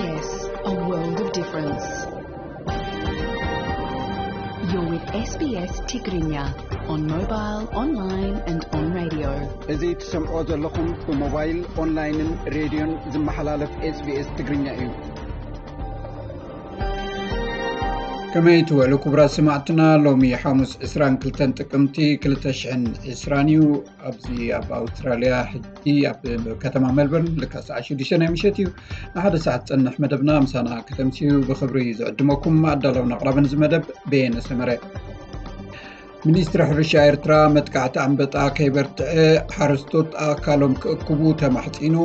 Yes, a world of difference. You're with S B S Tigrinya on mobile, online and on radio. እዚ ትሰምዖ ዘለኹም ብሞባይል፣ ኦንላይንን ሬድዮን ዝመሓላለፍ SBS ትግርኛ እዩ። ከመይ ትውዕሉ ክቡራት ሰማዕትና? ሎሚ ሓሙስ ዕስራን ክልተን ጥቅምቲ ክልተ ሽሕን ዕስራን እዩ። ኣብዚ ኣብ ኣውስትራልያ ሕጂ ኣብ ከተማ ሜልበርን ልክዕ ሰዓት ሽዱሽተ ናይ ምሸት እዩ። ንሓደ ሰዓት ዝጸንሕ መደብና ምሳና ከተምስዩ ብኽብሪ ዝዕድመኩም ኣዳለውን ኣቕራብን እዚ መደብ በየነ ሰመረ። ሚኒስትሪ ሕርሻ ኤርትራ መጥቃዕቲ ኣንበጣ ከይበርትዐ ሓረስቶት ኣእካሎም ክእክቡ ተማሕጺኑ።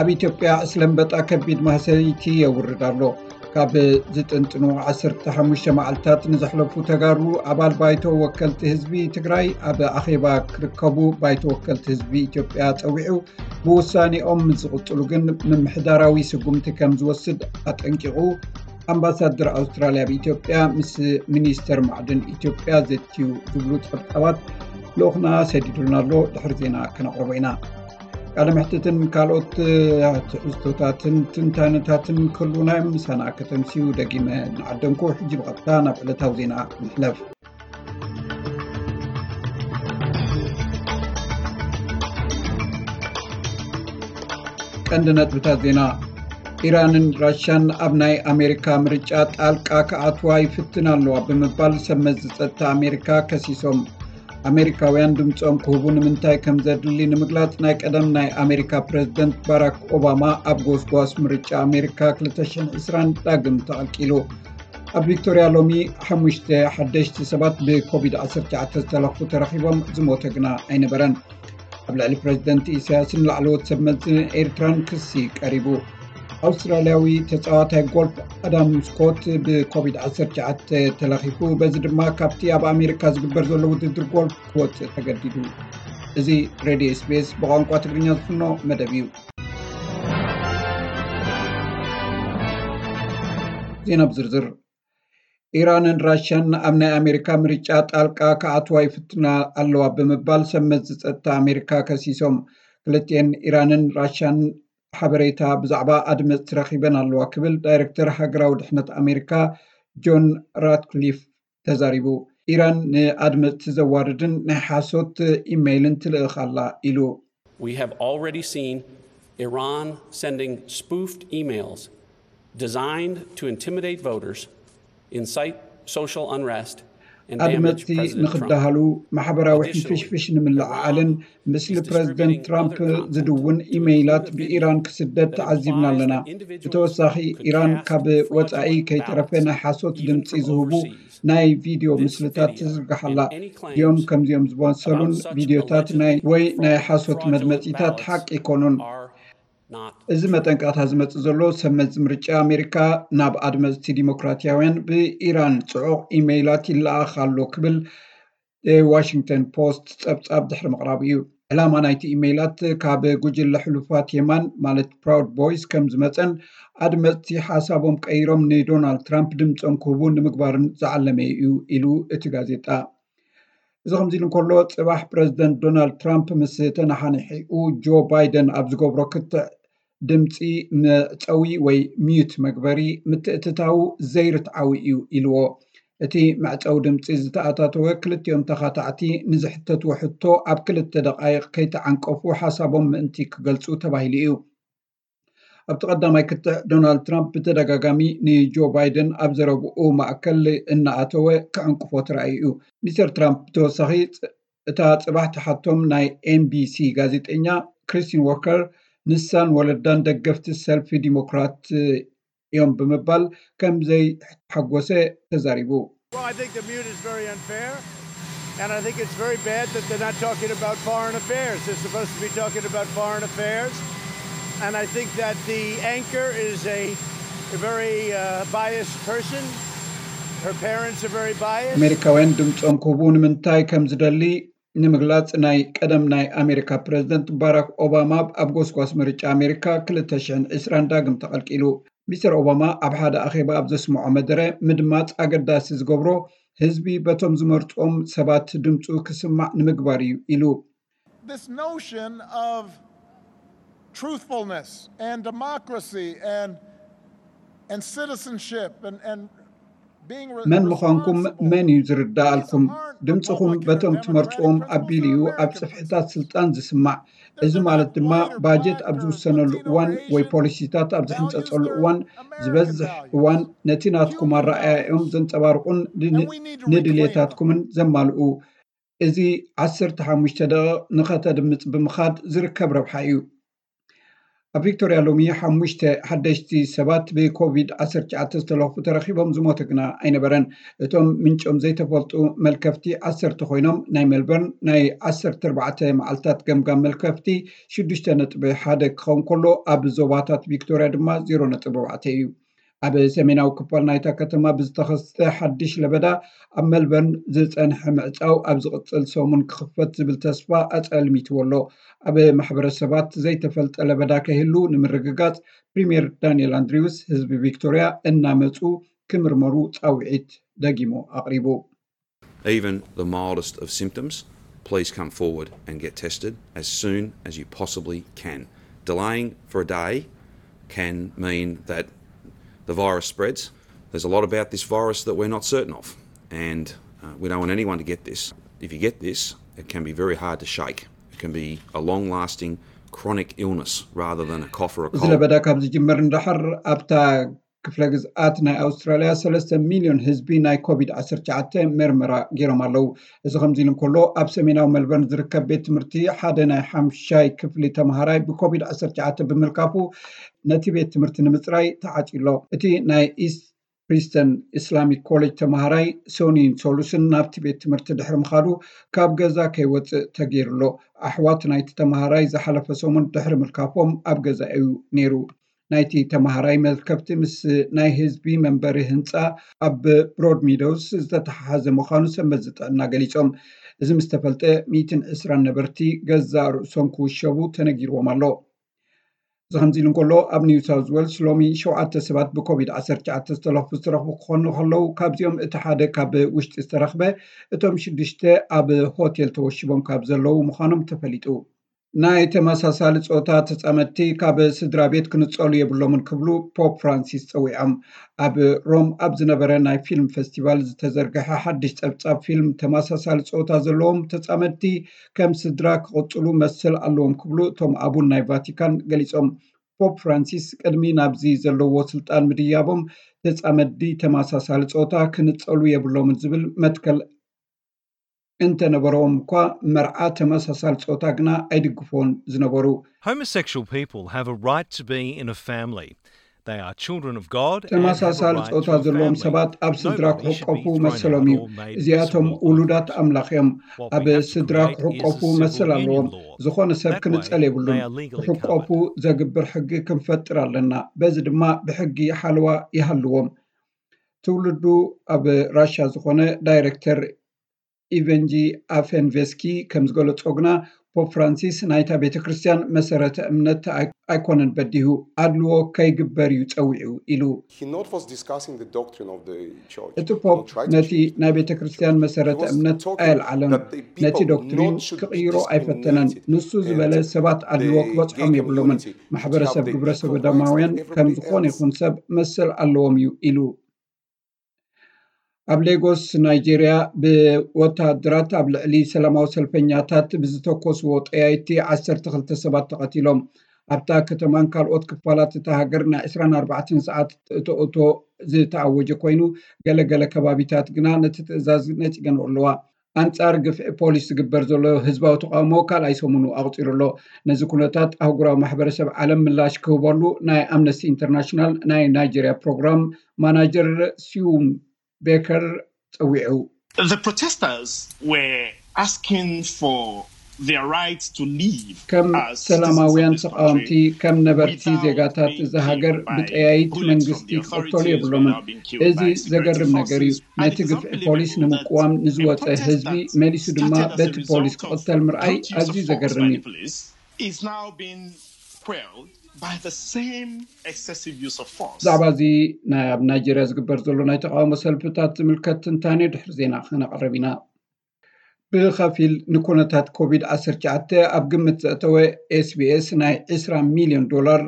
ኣብ ኢትዮጵያ ዕስለ ኣንበጣ ከቢድ ማህሰይቲ የውርድ ኣሎ። ካብ ዝጥንጥኑ ዓሰርተ ሓሙሽተ መዓልታት ንዘሕለፉ ተጋሩ ኣባል ባይቶ ወከልቲ ህዝቢ ትግራይ ኣብ ኣኼባ ክርከቡ ባይቶ ወከልቲ ህዝቢ ኢትዮጵያ ጸዊዑ። ብውሳኔኦም ምስ ዝቕጽሉ ግን ምምሕዳራዊ ስጉምቲ ከም ዝወስድ ኣጠንቂቑ። ኣምባሳደር ኣውስትራልያ ኣብ ኢትዮጵያ ምስ ሚኒስተር ማዕድን ኢትዮጵያ ዘትዩ ዝብሉ ጸብጻባት ልኡኽና ሰዲዱልና ኣሎ። ድሕሪ ዜና ከነቕርቦ ኢና። ቃለ መሕትትን ካልኦት ትሕዝቶታትን ትንታነታትን ክህሉና እዮም። ምሳና ከተምስዩ ደጊመ ንዓደምኩ። ሕጂ ብቐጥታ ናብ ዕለታዊ ዜና ንሕለፍ። ቀንዲ ነጥብታት ዜና። ኢራንን ራሻን ኣብ ናይ ኣሜሪካ ምርጫ ጣልቃ ክኣትዋ ይፍትና ኣለዋ ብምባል ሰብ መዚ ጸጥታ ኣሜሪካ ከሲሶም። ኣሜሪካውያን ድምጾም ክህቡ ንምንታይ ከም ዘድሊ ንምግላጽ ናይ ቀደም ናይ ኣሜሪካ ፕረዚደንት ባራክ ኦባማ ኣብ ጎስጓስ ምርጫ ኣሜሪካ ክልተ ሽሕን ዕስራን ዳግም ተቐልቂሉ። ኣብ ቪክቶርያ ሎሚ ሓሙሽተ ሓደሽቲ ሰባት ብኮቪድ ዓሰርተ ትሽዓተ ዝተለኽፉ ተረኺቦም፣ ዝሞተ ግና ኣይነበረን። ኣብ ልዕሊ ፕረዚደንት ኢሳያስን ላዕለዎት ሰብ መዚ ኤርትራን ክሲ ቀሪቡ። ኣውስትራልያዊ ተጻዋታይ ጎልፍ ኣዳም ስኮት ብኮቪድ ዓሰርተ ትሽዓተ ተለኺፉ፣ በዚ ድማ ካብቲ ኣብ ኣሜሪካ ዝግበር ዘሎ ውድድር ጎልፍ ክወጽእ ተገዲዱ። እዚ ሬድዮ SBS ብቋንቋ ትግርኛ ዝፍኖ መደብ እዩ። ዜና ብዝርዝር። ኢራንን ራሽያን ኣብ ናይ ኣሜሪካ ምርጫ ጣልቃ ክኣትዋ ይፍትና ኣለዋ ብምባል ሰብ መዚ ጸጥታ ኣሜሪካ ከሲሶም። ክልቲኤን ኢራንን ራሽያን ሓበሬታ ብዛዕባ ኣድመጽቲ ረኺበን ኣለዋ ክብል ዳይሬክተር ሃገራዊ ድሕነት ኣሜሪካ ጆን ራትክሊፍ ተዛሪቡ። ኢራን ንኣድመጽቲ ዘዋርድን ናይ ሓሶት ኢሜይልን ትልእኽ ኣላ ኢሉ። We have already seen Iran sending spoofed emails designed to intimidate voters, incite social unrest, and damage ኣድመጽቲ President Trump. ንኽደሃሉ፣ ማሕበራዊ ሕንፍሽፍሽ ንምልዕዓልን ምስሊ ፕረዚደንት ትራምፕ ዝድውን ኢሜይላት ብኢራን ክስደድ ተዓዚብና ኣለና። ብተወሳኺ፣ ኢራን ካብ ወጻኢ ከይተረፈ ናይ ሓሶት ድምጺ ዝህቡ ናይ ቪድዮ ምስልታት ትዝርግሓላ። ድዮም ከምዚኦም ዝመሰሉን ቪድዮታት ናይ ወይ ናይ ሓሶት መድመጺታት ሓቂ ኣይኮኑን። እዚ መጠንቀቕታ ዝመጽእ ዘሎ ሰብ መዚ ምርጫ ኣሜሪካ ናብ ኣድመጽቲ ዲሞክራትያውያን ብኢራን ጽዑቕ ኢሜይላት ይለኣኽ ኣሎ ክብል ዋሽንግተን ፖስት ጸብጻብ ድሕሪ ምቕራቡ እዩ። ዕላማ ናይቲ ኢሜይላት ካብ ጉጅለ ሕሉፋት የማን ማለት ፕራውድ ቦይስ ከም ዝመጸን ኣድመጽቲ ሓሳቦም ቀይሮም ንዶናልድ ትራምፕ ድምጾም ክህቡ ንምግባርን ዝዓለመ እዩ ኢሉ እቲ ጋዜጣ። እዚ ከምዚ ኢሉ እንከሎ፣ ጽባሕ ፕረዚደንት ዶናልድ ትራምፕ ምስ ተነሓንሒኡ ጆ ባይደን ኣብ ዝገብሮ ክትዕ ድምጺ መዕጸዊ ወይ ሚዩት መግበሪ ምትእትታዉ ዘይርትዓዊ እዩ ኢልዎ። እቲ መዕጸዊ ድምጺ ዝተኣታተወ ክልቲኦም ተኻታዕቲ ንዝሕተትዎ ሕቶ ኣብ ክልተ ደቓይቕ ከይተዓንቀፉ ሓሳቦም ምእንቲ ክገልጹ ተባሂሉ እዩ። ኣብቲ ቀዳማይ ክትዕ ዶናልድ ትራምፕ ብተደጋጋሚ ንጆ ባይደን ኣብ ዘረብኡ ማእከል እናኣተወ ክዕንቅፎ ተራእዩ እዩ። ሚስተር ትራምፕ ብተወሳኺ እታ ጽባሕ ትሓቶም ናይ ኤንቢሲ ጋዜጠኛ ክሪስቲን ዎከር ንሳን ወለዳን ደገፍቲ ሰልፊ ዲሞክራት እዮም ብምባል ከም ዘይተሓጎሰ ተዛሪቡ። Well, I think the mute is very unfair, and I think it's very bad that they're not talking about foreign affairs. They're supposed to be talking about foreign affairs, and I think that the anchor is a, a very uh, biased person. Her parents are very biased. ኣሜሪካውያን ድምፆም ክህቡ ንምንታይ ከም ዝደሊ ንምግላፅ ናይ ቀደም ናይ ኣሜሪካ ፕረዚደንት ባራክ ኦባማ ኣብ ጎስጓስ ምርጫ ኣሜሪካ ክልተ ሽሕን ዕስራን ዳግም ተቐልቂሉ። ሚስተር ኦባማ ኣብ ሓደ ኣኼባ ኣብ ዘስምዖ መደረ፣ ምድማፅ ኣገዳሲ ዝገብሮ ህዝቢ በቶም ዝመርፆም ሰባት ድምፁ ክስማዕ ንምግባር እዩ ኢሉ። This notion of truthfulness and democracy and And citizenship and, and being re- መን ምዃንኩም responsible መን እዩ ዝርዳኣልኩም? Citizens aren't ድምፅኹም vote like በቶም entertainment ትመርፅዎም credit card ኣቢሉ እዩ ኣብ companies ጽፍሕታት ስልጣን ዝስማዕ። እዚ ማለት ድማ ባጀት ኣብ ዝውሰነሉ እዋን ወይ ፖሊሲታት ኣብ ዝሕንፀፀሉ እዋን ዝበዝሕ እዋን ነቲ ናትኩም ኣረኣእያ እዮም ዘንፀባርቑን ንድሌታትኩምን ዘማልኡ። እዚ ዓሰርተ ሓሙሽተ ደቂቕ ንኸተድምፅ ብምኻድ ዝርከብ ረብሓ እዩ። ኣብ ቪክቶርያ ሎሚ ሓሙሽተ ሓደሽቲ ሰባት ብኮቪድ ዓሰርተ ትሽዓተ ዝተለኽፉ ተረኺቦም፣ ዝሞተ ግና ኣይነበረን። እቶም ምንጮም ዘይተፈልጡ መልከፍቲ ዓሰርተ ኮይኖም፣ ናይ ሜልበርን ናይ ዓሰርተ ኣርባዕተ መዓልታት ገምጋም መልከፍቲ ሽዱሽተ ነጥቢ ሓደ ክኸውን ከሎ፣ ኣብ ዞባታት ቪክቶርያ ድማ ዜሮ ነጥቢ ኣርባዕተ እዩ። ኣብ ሰሜናዊ ክፋል ናይታ ከተማ ብዝተኸስተ ሓድሽ ለበዳ ኣብ ሜልበርን ዝጸንሐ ምዕጻው ኣብ ዝቕጽል ሰሙን ክኽፈት ዝብል ተስፋ ኣጸልሚትዎ ኣሎ። ኣብ ማሕበረሰባት ዘይተፈልጠ ለበዳ ከይህሉ ንምርግጋጽ ፕሪምየር ዳንኤል ኣንድሪውስ ህዝቢ ቪክቶርያ እናመጹ ክምርመሩ ጻውዒት ደጊሙ ኣቕሪቡ። Even the mildest of symptoms, please come forward and get tested as soon as you possibly can. Delaying for a day can mean that the virus spreads. There's a lot about this virus that we're not certain of, and uh, we don't want anyone to get this. If you get this, it can be very hard to shake. It can be a long lasting chronic illness rather than a cough or a cold. እዚ ለበዳ ካብ ዝጅመር እንዳሓር ኣብታ ክፍለ ግዝኣት ናይ ኣውስትራልያ ሰለስተ ሚልዮን ህዝቢ ናይ ኮቪድ ዓሰርተ ትሽዓተ መርመራ ገይሮም ኣለዉ። እዚ ከምዚ ኢሉ እንከሎ፣ ኣብ ሰሜናዊ ሜልበርን ዝርከብ ቤት ትምህርቲ ሓደ ናይ ሓምሻይ ክፍሊ ተምሃራይ ብኮቪድ ዓሰርተ ትሽዓተ ብምልካፉ ነቲ ቤት ትምህርቲ ንምፅራይ ተዓፅዩ ኣሎ። እቲ ናይ ኢስት ፕሪስተን ኢስላሚክ ኮሌጅ ተምሃራይ ሶኒን ሶሉስን ናብቲ ቤት ትምህርቲ ድሕሪ ምኻዱ ካብ ገዛ ከይወፅእ ተገይሩ ኣሎ። ኣሕዋት ናይቲ ተምሃራይ ዝሓለፈ ሰሙን ድሕሪ ምልካፎም ኣብ ገዛ እዩ ነይሩ። ናይቲ ተምሃራይ መልከፍቲ ምስ ናይ ህዝቢ መንበሪ ህንፃ ኣብ ብሮድ ሚዶውስ ዝተተሓሓዘ ምዃኑ ሰንበት ዝጥዕና ገሊፆም። እዚ ምስ ተፈልጠ ሚእትን ዕስራን ነበርቲ ገዛእ ርእሶም ክውሸቡ ተነጊርዎም ኣሎ። እዚ ከምዚ ኢሉ እንከሎ ኣብ ኒው ሳውዝ ዌልስ ሎሚ ሸውዓተ ሰባት ብኮቪድ ዓሰርተ ትሽዓተ ዝተለኽፉ ዝተረኽቡ ክኾኑ ከለዉ ካብዚኦም እቲ ሓደ ካብ ውሽጢ ዝተረኽበ እቶም ሽዱሽተ ኣብ ሆቴል ተወሺቦም ካብ ዘለዉ ምዃኖም ተፈሊጡ። ናይ ተመሳሳሊ ጾታ ተጻመድቲ ካብ ስድራ ቤት ክንጸሉ የብሎምን ክብሉ ፖፕ ፍራንሲስ ጸዊዖም። ኣብ ሮም ኣብ ዝነበረ ናይ ፊልም ፈስቲቫል ዝተዘርግሐ ሓድሽ ጸብጻብ ፊልም ተመሳሳሊ ጾታ ዘለዎም ተጻመድቲ ከም ስድራ ክቕጽሉ መሰል ኣለዎም ክብሉ እቶም ኣቡን ናይ ቫቲካን ገሊጾም። ፖፕ ፍራንሲስ ቅድሚ ናብዚ ዘለዎ ስልጣን ምድያቦም ተጻመድቲ ተመሳሳሊ ጾታ ክንጸሉ የብሎምን ዝብል መትከል እንተነበሮም እኳ መርዓ ተመሳሳሊ ጾታ ግና ኣይድግፎን ዝነበሩ። Homosexual people have a right to be in a family. They are children of God and have a ተመሳሳሊ right ጾታ to a ዘለዎም family. ሰባት ኣብ ስድራ Nobody should be ክሕቆፉ thrown መሰሎም out እዩ። or made እዚኣቶም miserable ውሉዳት overnight. ኣምላኽ እዮም። What ኣብ we have to ስድራ create is ክሕቆፉ a civil መሰል ኣለዎም። union law. ዝኾነ ሰብ That ክንጸል way, የብሉን። they are legally ክሕቆፉ covered. ዘግብር ሕጊ ክንፈጥር ኣለና። በዚ ድማ ብሕጊ ሓለዋ ይሃልዎም። ትውልዱ ኣብ ራሻ ዝኾነ ዳይሬክተር ኢቨንጂ ኣፈንቬስኪ ከም ዝገለጾ ግና ፖፕ ፍራንሲስ ናይታ ቤተ ክርስቲያን መሰረተ እምነት ኣይ- ኣይኮነን በዲሁ፣ ኣድልዎ ከይግበር እዩ ጸዊዑ ኢሉ። He not was discussing the doctrine of the church. እቲ ፖፕ ነቲ ናይ ቤተ ክርስቲያን መሰረተ እምነት ኣየልዓለን፣ ነቲ ዶክትሪን ክቕይሮ ኣይፈተነን። ንሱ ዝበለ ሰባት ኣድልዎ ክበጽሖም የብሎምን። ማሕበረሰብ ግብረ ሰዶማውያን ከም ዝኾነ ይኹን ሰብ መሰል ኣለዎም እዩ ኢሉ። ኣብ ሌጎስ ናይጄርያ ብወታደራት ኣብ ልዕሊ ሰላማዊ ሰልፈኛታት ብዝተኮስዎ ጠያይቲ ዓሰርተ ክልተ ሰባት ተቐቲሎም። ኣብታ ከተማን ካልኦት ክፋላት እታ ሃገር ናይ ዕስራን ኣርባዕተን ሰዓት እቶ እቶ ዝተኣወጀ ኮይኑ፣ ገለገለ ከባቢታት ግና ነቲ ትእዛዝ ነጺገንኦ ኣለዋ። ኣንጻር ግፍዒ ፖሊስ ዝግበር ዘሎ ህዝባዊ ተቓውሞ ካልኣይ ሰሙኑ ኣቑጺሩ ኣሎ። ነዚ ኩነታት ኣህጉራዊ ማሕበረሰብ ዓለም ምላሽ ክህበሉ ናይ ኣምነስቲ ኢንተርናሽናል ናይ ናይጀርያ ፕሮግራም ማናጀር ሲዩም ቤከር ጸዊዑ። The protesters were asking for their right to leave ከም as ሰላማውያን citizens of this ተቃወምቲ country ከም ነበርቲ without ዜጋታት being እዛ ሃገር killed by ብጠያይት bullets መንግስቲ from the ክቕተሉ authorities የብሎምን። without being killed እዚ by security ዘገርም ነገር እዩ። forces. And ነቲ it is ግፍዒ ፖሊስ unbelievable that ንምቅዋም a ንዝወፀ protest ህዝቢ that መሊሱ ድማ started as a በቲ ፖሊስ result of ክቕተል the ምርኣይ brutal use ኣዝዩ of force ዘገርም by እዩ። the police is now being quelled by the same excessive use of force. ብዛዕባ እዚ ናይ ኣብ ናይጀርያ ዝግበር ዘሎ ናይ ተቃውሞ ሰልፍታት ዝምልከት ትንታኔ ድሕሪ ዜና ክነቕርብ ኢና። ብኸፊል ንኩነታት ኮቪድ ዓሰርተ ትሽዓተ ኣብ ግምት ዘእተወ ኤስቢኤስ ናይ ዕስራ ሚልዮን ዶላር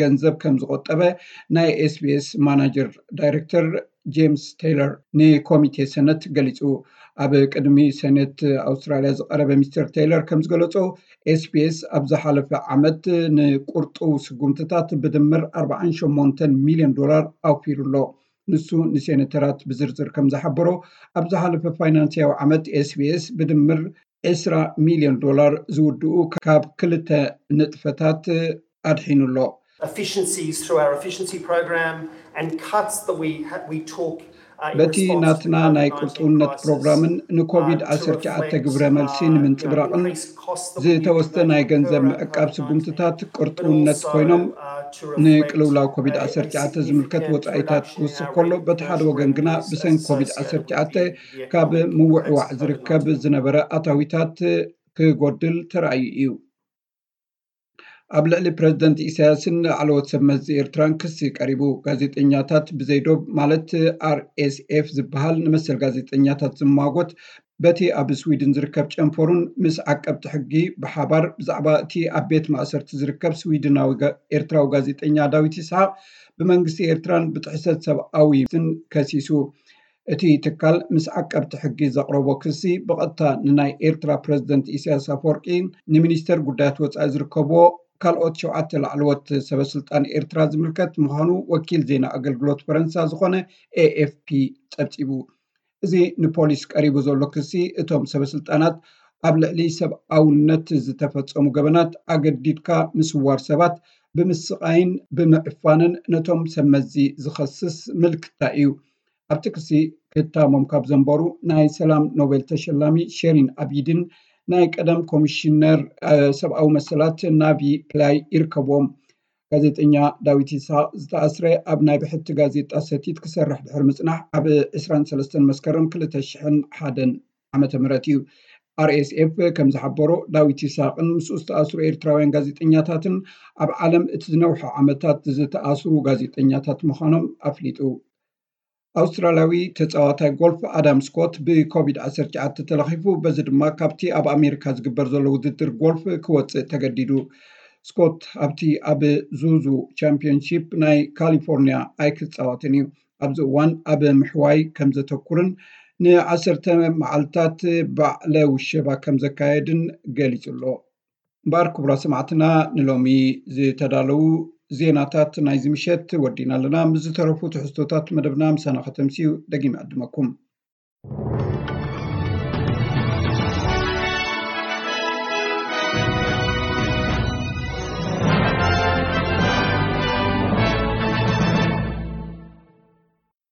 ገንዘብ ከም ዝቆጠበ ናይ ኤስቢኤስ ማናጀር ዳይሬክተር ጄምስ ቴይለር ንኮሚቴ ሰነት ገሊጹ። ኣብ ቅድሚ ሰነት ኣውስትራልያ ዝቐረበ ሚስተር ቴይለር ከም ዝገለጾ፣ ኤስቢኤስ ኣብ ዝሓለፈ ዓመት ንቁርጡ ስጉምትታት ብድምር ኣርባዓን ሸሞንተን ሚልዮን ዶላር ኣውፊሩ ኣሎ። ንሱ ንሴኔተራት ብዝርዝር ከም ዝሓበሮ፣ ኣብ ዝሓለፈ ፋይናንስያዊ ዓመት ኤስቢኤስ ብድምር ዕስራ ሚልዮን ዶላር ዝውድኡ ካብ ክልተ ንጥፈታት ኣድሒኑ ኣሎ። Efficiencies through our efficiency program and cuts that we ha- we took uh, in በቲ response to the ናትና ናይ COVID-19 ቁርጥውነት crisis, ፕሮግራምን ንኮቪድ uh, to ዓሰርተ ትሽዓተ reflect, ግብረ መልሲ uh, you know, ንምንጽብራቕን increased costs that we ዝተወስደ incurred ናይ to ገንዘብ incur around ምዕቃብ COVID-19, ስጉምትታት but ቅርጥውነት also, ኮይኖም uh, to reflect ንቅልውላው ኮቪድ a- a ዓሰርተ ትሽዓተ significant ዝምልከት ወጻኢታት reduction in ክውስኽ our ከሎ፣ በቲ ሓደ commercial ወገን ግና revenues ብሰንኪ ኮቪድ associated ዓሰርተ ትሽዓተ with the, the ካብ economic ምውዕዋዕ impacts of ዝርከብ COVID-19. ዝነበረ ኣታዊታት ክጎድል ተራእዩ እዩ። ኣብ ልዕሊ ፕረዚደንት ኢሳያስን ላዕለዎት ሰብ መዚ ኤርትራን ክሲ ቀሪቡ። ጋዜጠኛታት ብዘይዶብ ማለት ኣርኤስኤፍ ዝበሃል ንመሰል ጋዜጠኛታት ዝማጎት በቲ ኣብ ስዊድን ዝርከብ ጨንፈሩን ምስ ዓቀብቲ ሕጊ ብሓባር ብዛዕባ እቲ ኣብ ቤት ማእሰርቲ ዝርከብ ስዊድናዊ ጋ- ኤርትራዊ ጋዜጠኛ ዳዊት ይስሓቅ ብመንግስቲ ኤርትራን ብጥሕሰት ሰብኣዊ መብትን ከሲሱ። እቲ ትካል ምስ ዓቀብቲ ሕጊ ዘቕረቦ ክሲ ብቐጥታ ንናይ ኤርትራ ፕረዚደንት ኢሳያስ ኣፈወርቂ፣ ንሚኒስተር ጉዳያት ወጻኢ ዝርከብዎ ካልኦት ሸውዓተ ላዕለዎት ሰበስልጣን ኤርትራ ዝምልከት ምዃኑ ወኪል ዜና ኣገልግሎት ፈረንሳ ዝኾነ ኤኤፍፒ ጸብጺቡ። እዚ ንፖሊስ ቀሪቡ ዘሎ ክሲ እቶም ሰበስልጣናት ኣብ ልዕሊ ሰብኣውነት ዝተፈጸሙ ገበናት፣ ኣገዲድካ ምስዋር ሰባት፣ ብምስቓይን ብምዕፋንን ነቶም ሰብ መዚ ዝኸስስ ምልክታ እዩ። ኣብቲ ክሲ ክታሞም ካብ ዘንበሩ ናይ ሰላም ኖቤል ተሸላሚ ሸሪን ኣቢድን ናይ ቀደም ኮሚሽነር ሰብኣዊ መሰላት ናቪ ፕላይ ይርከብዎም። ጋዜጠኛ ዳዊት ይስሓቅ ዝተኣስረ ኣብ ናይ ብሕቲ ጋዜጣ ሰቲት ክሰርሕ ድሕሪ ምጽናሕ ኣብ ዕስራን ሰለስተን መስከረም ክልተ ሽሕን ሓደን ዓመተ ምህረት እዩ። ኣርኤስኤፍ ከም ዝሓበሮ፣ ዳዊት ይስሓቅን ምስኡ ዝተኣስሩ ኤርትራውያን ጋዜጠኛታትን ኣብ ዓለም እቲ ዝነውሐ ዓመታት ዝተኣስሩ ጋዜጠኛታት ምዃኖም ኣፍሊጡ። ኣውስትራልያዊ ተጻዋታይ ጎልፍ ኣዳም ስኮት ብኮቪድ ዓሰርተ ትሽዓተ ተለኺፉ፣ በዚ ድማ ካብቲ ኣብ ኣሜሪካ ዝግበር ዘሎ ውድድር ጎልፍ ክወጽእ ተገዲዱ። ስኮት ኣብቲ ኣብ ዙዙ ቻምፒዮንሺፕ ናይ ካሊፎርኒያ ኣይክጻወትን እዩ። ኣብዚ እዋን ኣብ ምሕዋይ ከም ዘተኩርን ንዓሰርተ መዓልታት ባዕለ ውሸባ ከም ዘካየድን ገሊጹ ኣሎ። እምበኣር ክቡራት ሰማዕትና፣ ንሎሚ ዝተዳለዉ ዜናታት ናይዚ ምሸት ወዲና ኣለና። ምስ ዝተረፉ ትሕዝቶታት መደብና ምሳና ከተምስዩ ደጊም ዕድመኩም።